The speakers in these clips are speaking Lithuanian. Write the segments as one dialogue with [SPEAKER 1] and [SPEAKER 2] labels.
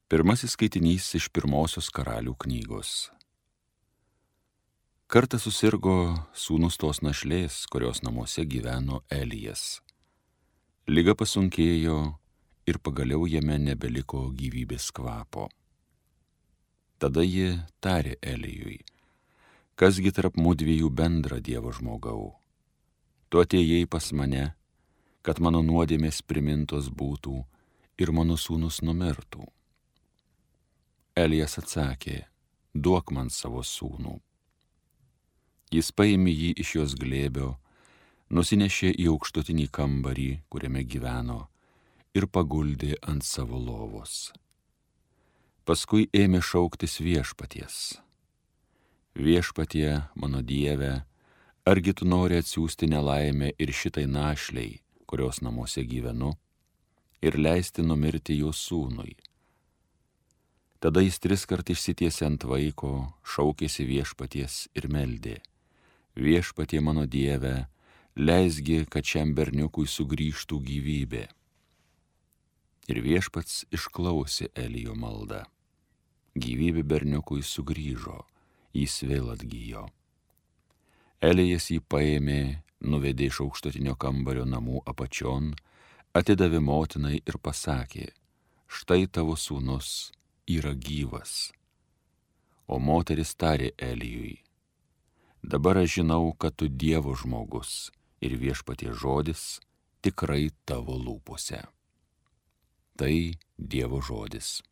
[SPEAKER 1] Pirmasis skaitinys iš pirmosios Karalių knygos. Kartą susirgo sūnus tos našlės, kurios namuose gyveno Elijas. Liga pasunkėjo ir pagaliau jame nebeliko gyvybės kvapo. Tada ji tarė Elijui: kasgi tarp mudviejų bendra, Dievo žmogau? Tu atėjai pas mane, kad mano nuodėmės primintos būtų ir mano sūnus numirtų. Elijas atsakė: duok man savo sūnų. Jis paėmė jį iš jos glėbio, nusinešė į aukštutinį kambarį, kuriame gyveno, ir paguldė ant savo lovos. Paskui ėmė šauktis viešpaties: viešpatie, mano Dieve, argi tu nori atsiųsti nelaimę ir šitai našlei, kurios namuose gyvenu, ir leisti numirti jo sūnui? Tada jis 3 kart išsitiesė ant vaiko, šaukėsi viešpaties ir meldė: viešpatie, mano Dieve, leisgi, kad šiam berniukui sugrįžtų gyvybė. Ir viešpats išklausė Elijo maldą. Gyvybė berniukui sugrįžo, jis vėl atgijo. Elijas jį paėmė, nuvedė iš aukštutinio kambario namų apačion, atidavė motinai ir pasakė: štai tavo sūnus yra gyvas. O moteris tarė Elijui: dabar aš žinau, kad tu Dievo žmogus ir viešpaties žodis tikrai tavo lūpose. Tai Dievo žodis.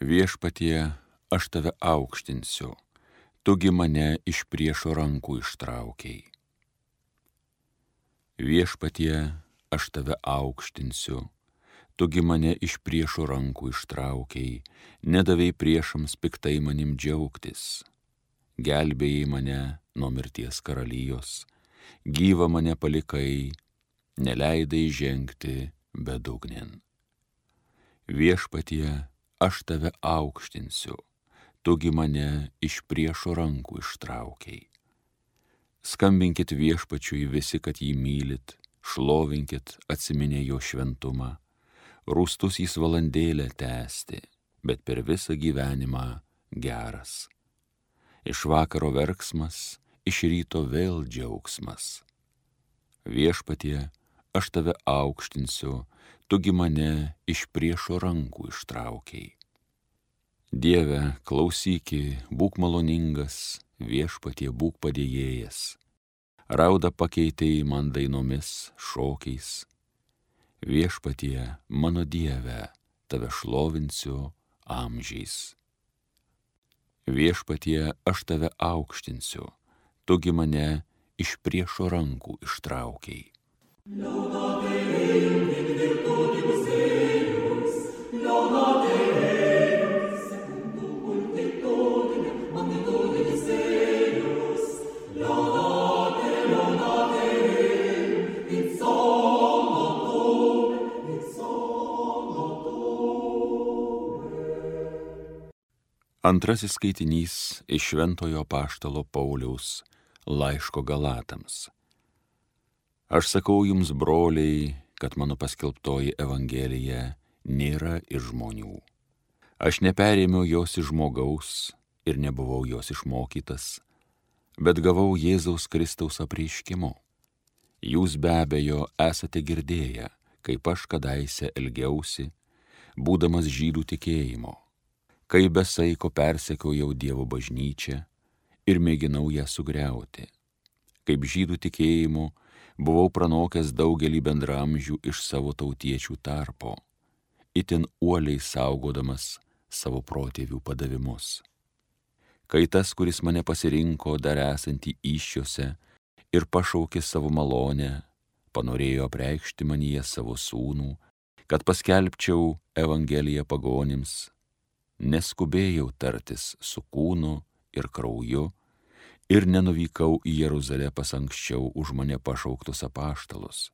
[SPEAKER 1] Viešpatie, aš tave aukštinsiu, tugi mane iš priešo rankų ištraukei. Viešpatie, aš tave aukštinsiu, tugi mane iš priešo rankų ištraukei, nedavei priešams piktai manim džiaugtis. Gelbėjai mane nuo mirties karalijos, gyvą mane palikai, neleidai žengti bedugnėn. Viešpatie, aš tave aukštinsiu, tugi mane iš priešo rankų ištraukei. Skambinkit viešpačiui visi, kad jį mylit, šlovinkit atsiminę jo šventumą. Rūstus jis valandėlę tęsti, bet per visą gyvenimą geras. Iš vakaro verksmas, iš ryto vėl džiaugsmas. Viešpatie, aš tave aukštinsiu, tugi mane iš priešo rankų ištraukei. Dieve, klausyki, būk maloningas, viešpatie, būk padėjėjas. Raudą pakeitei man dainomis, šokiais. Viešpatie, mano Dieve, tave šlovinsiu amžiais. Viešpatie, aš tave aukštinsiu, tugi mane iš priešo rankų ištraukei. Antrasis skaitinys iš Šventojo apaštalo Pauliaus laiško Galatams. Aš sakau jums, broliai, kad mano paskelbtoji evangelija nėra iš žmonių. Aš neperėmiau jos iš žmogaus ir nebuvau jos išmokytas, bet gavau Jėzaus Kristaus apreiškimu. Jūs be abejo esate girdėję, kaip aš kadaise elgiausi, būdamas žydų tikėjimo, kai be saiko persekiojau Dievo bažnyčią ir mėginau ją sugriauti. Kaip žydų tikėjimu buvau pranokęs daugelį bendramžių iš savo tautiečių tarpo, itin uoliai saugodamas savo protėvių padavimus. Kai tas, kuris mane pasirinko dar esantį įsčiose ir pašaukė savo malonę, panorėjo apreikšti manyje savo sūnų, kad paskelbčiau evangeliją pagonims, neskubėjau tartis su kūnu ir krauju ir nenuvykau į Jeruzalę pas anksčiau už mane pašauktus apaštalus,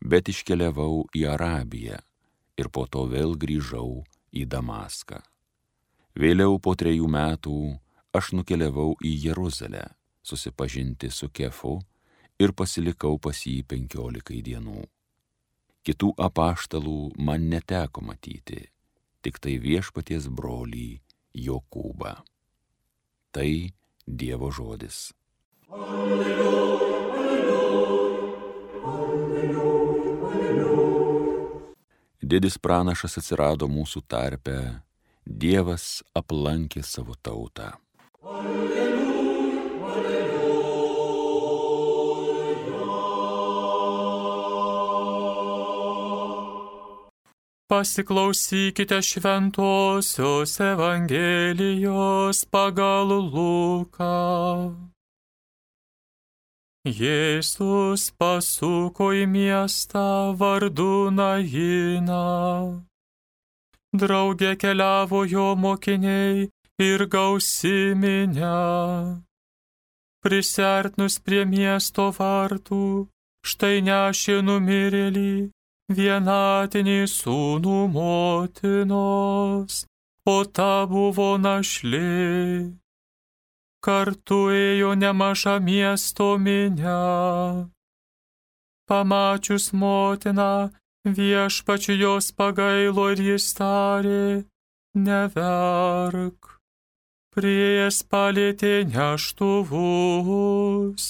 [SPEAKER 1] bet iškeliavau į Arabiją ir po to vėl grįžau į Damaską. Vėliau po 3 metų aš nukeliavau į Jeruzalę susipažinti su Kefu ir pasilikau pas jį 15 dienų. Kitų apaštalų man neteko matyti, tik tai Viešpaties brolį Jokūbą. Tai Dievo žodis. Alleluja, alleluja, alleluja, alleluja. Didis pranašas atsirado mūsų tarpe, Dievas aplankė savo tautą. Alleluja, alleluja.
[SPEAKER 2] Pasiklausykite šventosios Evangelijos pagal Luką. Jėzus pasuko į miestą vardu Najiną. Drauge keliavo jo mokiniai ir gausi minia. Prisiartinus prie miesto vartų, štai nešė numirėlį, vienatinį sūnų motinos, o ta buvo našlė. Kartu ėjo nemaža miesto minia. Pamačius motiną, Viešpačiui jos pagailo ir jis tarė, neverk. Priėjęs palietė neštuvus,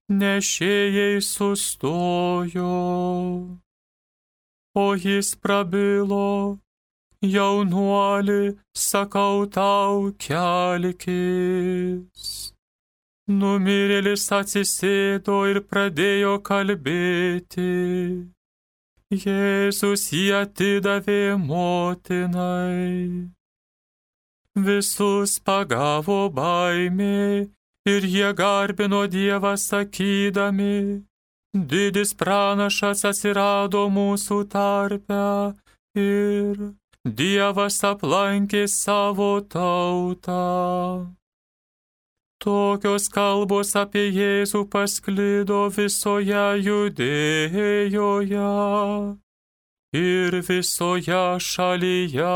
[SPEAKER 2] nešėjai sustojo. O jis prabilo, jaunuoli, sakau tau, kelkis. Numirėlis atsisėdo ir pradėjo kalbėti. Jėzus jį atidavė motinai. Visus pagavo baimė ir jie garbino Dievą sakydami, didis pranašas atsirado mūsų tarpe ir Dievas aplankė savo tautą. Tokios kalbos apie Jėzų pasklido visoje Judėjoje ir visoje šalyje.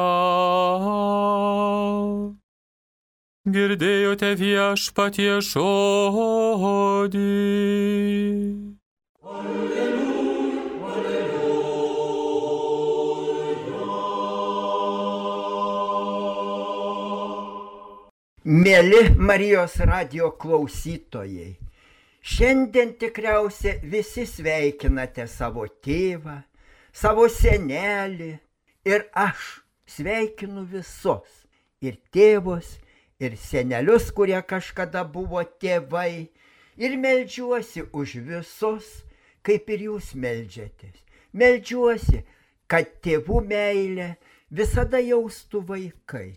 [SPEAKER 2] Girdėjote Viešpaties žodį.
[SPEAKER 3] Mėly Marijos radijo klausytojai, šiandien tikriausiai visi sveikinate savo tėvą, savo senelį ir aš sveikinu visus, ir tėvus, ir senelius, kurie kažkada buvo tėvai, ir meldžiuosi už visus, kaip ir jūs meldžiatės. Meldžiuosi, kad tėvų meilę visada jaustų vaikai.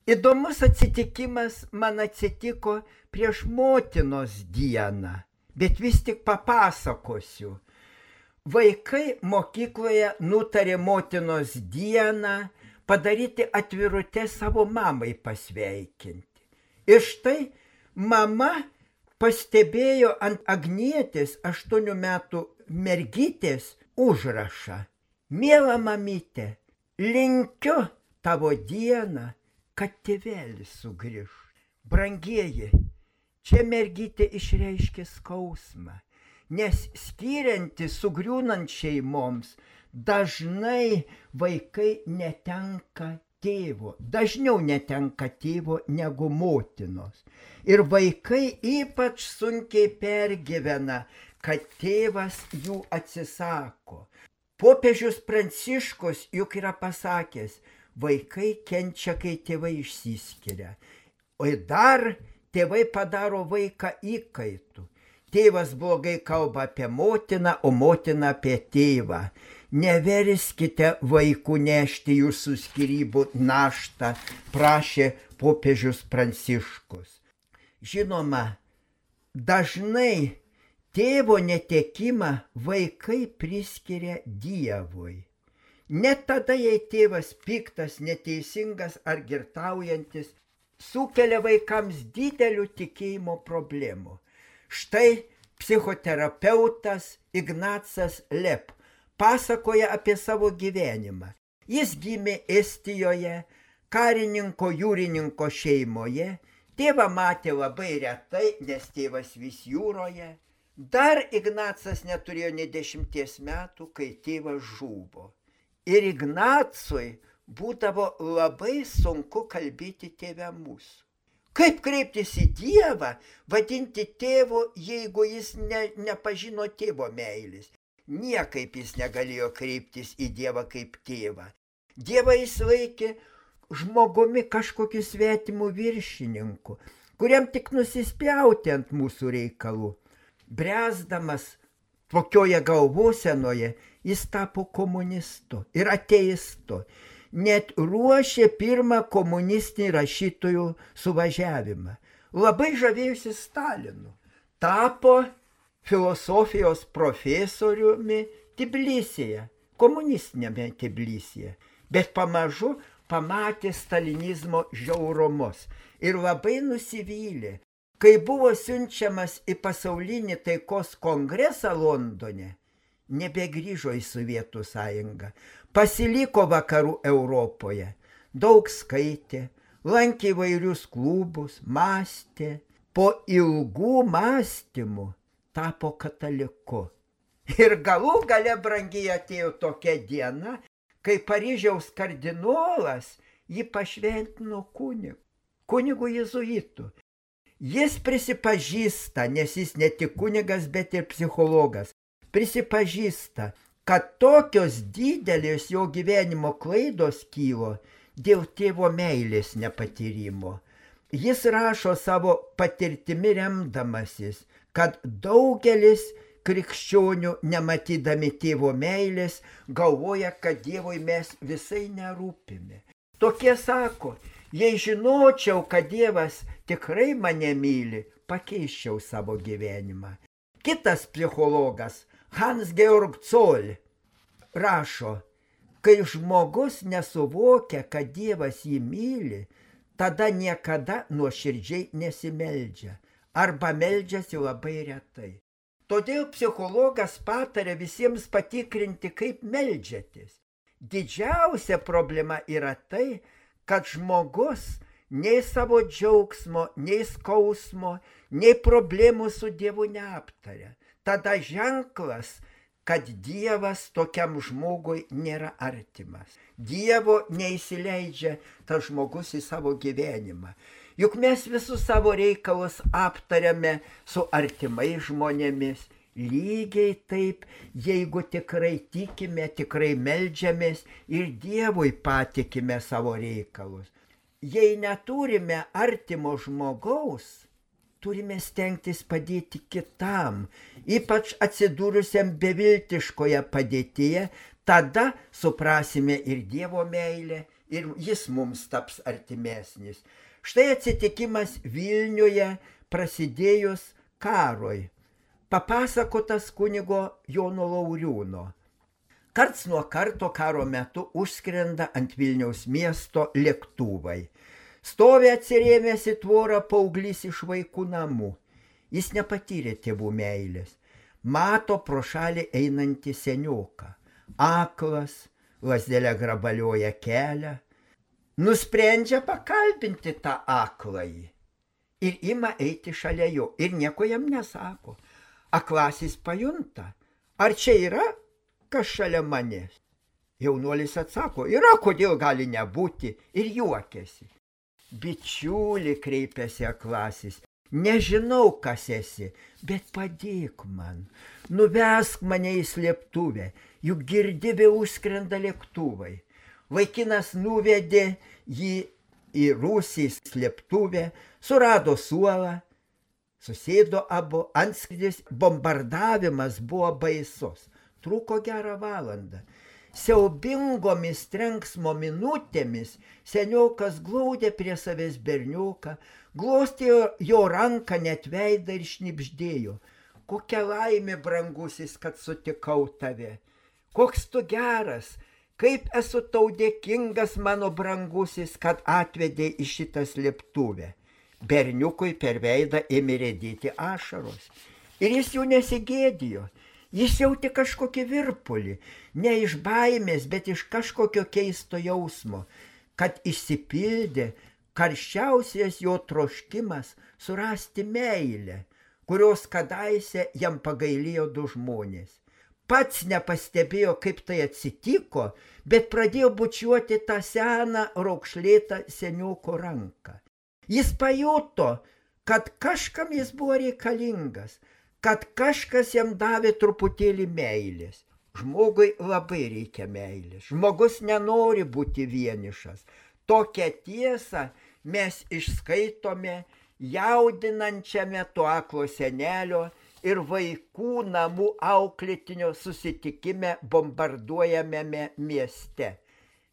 [SPEAKER 3] Įdomus atsitikimas man atsitiko prieš motinos dieną, bet vis tik papasakosiu. Vaikai mokykloje nutarė motinos dieną padaryti atvirutę savo mamai pasveikinti. Ir štai mama pastebėjo ant Agnietės 8 metų mergytės užrašą. Miela mamyte, linkiu tavo dieną, kad tėvelis sugrįž. Brangieji, čia mergytė išreiškė skausmą, nes skiriantis sugriūnant šeimoms, dažnai vaikai netenka tėvo, dažniau netenka tėvo negu motinos. Ir vaikai ypač sunkiai pergyvena, kad tėvas jų atsisako. Popiežius Pranciškus juk yra pasakęs, vaikai kenčia, kai tėvai išsiskiria. O dar tėvai padaro vaiką įkaitu. Tėvas blogai kalba apie motiną, o motina apie tėvą. Neverskite vaikų nešti jūsų skyrybų naštą, prašė popiežius Pranciškus. Žinoma, dažnai tėvo netekimą vaikai priskiria Dievui. Net tada, jei tėvas piktas, neteisingas ar girtaujantis, sukelia vaikams didelių tikėjimo problemų. Štai psichoterapeutas Ignacas Lep pasakoja apie savo gyvenimą. Jis gimė Estijoje, karininko jūrininko šeimoje, tėvą matė labai retai, nes tėvas vis jūroje. Dar Ignacas neturėjo nė 10 metų, kai tėvas žuvo. Ir Ignacui būdavo labai sunku kalbėti tėvę mūsų. Kaip kreiptis į Dievą, vadinti tėvu, jeigu jis nepažino tėvo meilės? Niekaip jis negalėjo kreiptis į Dievą kaip tėvą. Dievą jis laikė žmogumi kažkokiu svetimu viršininku, kuriam tik nusispjauti ant mūsų reikalų. Bręsdamas tokioje galvosenoje, jis tapo komunistu ir ateistu. Net ruošė pirmą komunistinį rašytojų suvažiavimą. Labai žavėjusi Stalinu. Tapo filosofijos profesoriumi Tbilisyje, komunistinėme Tbilisyje. Bet pamažu pamatė stalinizmo žiaurumus ir labai nusivylė. Kai buvo siunčiamas į pasaulinį taikos kongresą Londone, nebegrįžo į Sovietų sąjungą, pasiliko vakarų Europoje, daug skaitė, lankė įvairius klubus, mąstė, po ilgų mąstymų tapo kataliku. Ir galų gale brangiai atėjo tokia diena, kai Paryžiaus kardinolas jį pašventino kunigu jėzuitu. Jis prisipažįsta, nes jis ne tik kunigas, bet ir psichologas, prisipažįsta, kad tokios didelės jo gyvenimo klaidos kylo dėl tėvo meilės nepatyrimo. Jis rašo savo patirtimi remdamasis, kad daugelis krikščionių, nematydami tėvo meilės, galvoja, kad Dievui mes visai nerūpime. Tokie sako, jei žinočiau, kad Dievas tikrai mane myli, pakeiščiau savo gyvenimą. Kitas psichologas, Hans-Georg Zoll, rašo, kai žmogus nesuvokia, kad Dievas jį myli, tada niekada nuoširdžiai nesimeldžia arba meldžiasi labai retai. Todėl psichologas patarė visiems patikrinti, kaip meldžiatės. Didžiausia problema yra tai, kad žmogus nei savo džiaugsmo, nei skausmo, nei problemų su Dievu neaptaria. Tada ženklas, kad Dievas tokiam žmogui nėra artimas. Dievo neįsileidžia tas žmogus į savo gyvenimą. Juk mes visus savo reikalus aptariame su artimais žmonėmis. Lygiai taip, jeigu tikrai tikime, tikrai meldžiamės ir Dievui patikime savo reikalus. Jei neturime artimo žmogaus, turime stengtis padėti kitam, ypač atsidūrusiam beviltiškoje padėtyje, tada suprasime ir Dievo meilę, ir jis mums taps artimesnis. Štai atsitikimas Vilniuje prasidėjus karui, papasakotas kunigo Jono Lauriūno. Karts nuo karto karo metu užskrenda ant Vilniaus miesto lėktuvai. Stovi atsirėmęs į tvorą paauglys iš vaikų namų. Jis nepatyrė tėvų meilės. Mato pro šalį einantį senioką. Aklas, lazdelė grabalioja kelią. Nusprendžia pakalbinti tą akląjį ir ima eiti šalia jo ir nieko jam nesako. Aklasis pajunta, ar čia yra kas šalia manęs? Jaunuolis atsako, yra, kodėl gali nebūti, ir juokiasi. Bičiuli, kreipėsi aklasis, nežinau, kas esi, bet padėk man, nuvesk mane į slėptuvę, juk girdi vėl užskrenda lėktuvai. Vaikinas nuvedė jį į rūsį slėptuvę, surado suolą, susėdo abu, antskrydis, bombardavimas buvo baisus, truko gerą valandą. Siaubingomis trenksmo minutėmis seniokas glaudė prie savęs berniuką, glostė jo ranką net veidą ir šnibždėjo. Kokia laimė, brangusis, kad sutikau tave. Koks tu geras, Kaip esu tau dėkingas, mano brangusis, kad atvedė į šitą slėptuvę. Berniukui per veidą ėmė rėdėti ašaros. Ir jis jau nesigėdijo. Jis jautė kažkokį virpulį, ne iš baimės, bet iš kažkokio keisto jausmo, kad išsipildė karščiausias jo troškimas surasti meilę, kurios kadaise jam pagailėjo du žmonės. Pats nepastebėjo, kaip tai atsitiko, bet pradėjo bučiuoti tą seną raukšlėtą senioko ranką. Jis pajuto, kad kažkam jis buvo reikalingas, kad kažkas jam davė truputėlį meilės. Žmogui labai reikia meilės. Žmogus nenori būti vienišas. Tokią tiesą mes išskaitome jaudinančiame to aklo senelio ir vaikų namų auklėtinio susitikime bombarduojamame mieste.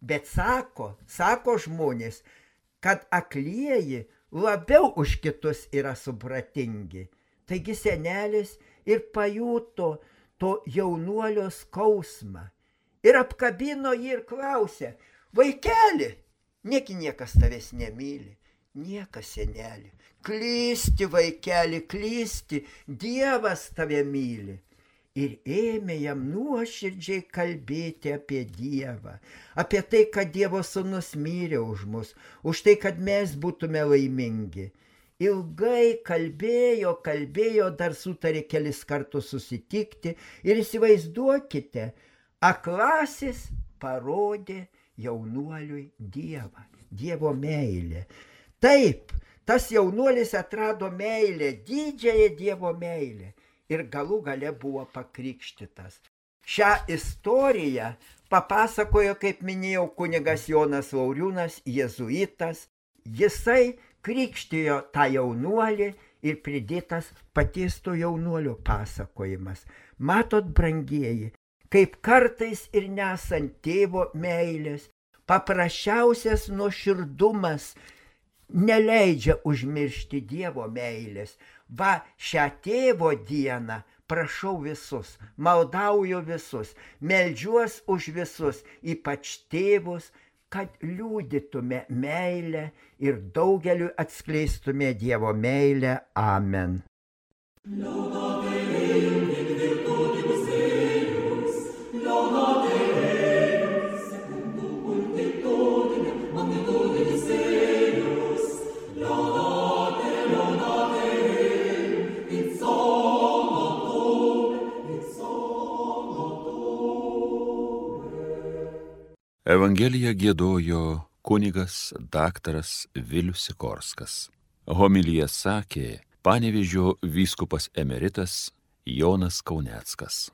[SPEAKER 3] Bet sako žmonės, kad aklieji labiau už kitus yra supratingi. Taigi senelis ir pajuto to jaunuolio skausmą ir apkabino jį ir klausė: vaikeli, negi niekas tavęs nemyli? Niekas, seneli. Klysti, vaikeli, klysti, Dievas tave myli. Ir ėmė jam nuoširdžiai kalbėti apie Dievą, apie tai, kad Dievo sūnus mirė už mus, už tai, kad mes būtume laimingi. Ilgai kalbėjo, dar sutarė kelis kartus susitikti ir įsivaizduokite, aklasis parodė jaunuoliui Dievą, Dievo meilę. Taip, tas jaunuolis atrado meilę, didžiąją Dievo meilę ir galų gale buvo pakrikštytas. Šią istoriją papasakojo, kaip minėjau, kunigas Jonas Lauriūnas, jėzuitas. Jisai krikštijo tą jaunuolį ir pridėtas paties to jaunuolio pasakojimas. Matot, brangieji, kaip kartais ir nesant tėvo meilės, paprasčiausias nuoširdumas neleidžia užmiršti Dievo meilės. Va, šią tėvo dieną prašau visus, maldauju visus, meldžiuos už visus, ypač tėvus, kad liudytume meilę ir daugeliu atskleistume Dievo meilę. Amen.
[SPEAKER 1] Evangeliją giedojo kunigas daktaras Vilius Sikorskas. Homiliją sakė Panevėžio vyskupas emeritas Jonas Kauneckas.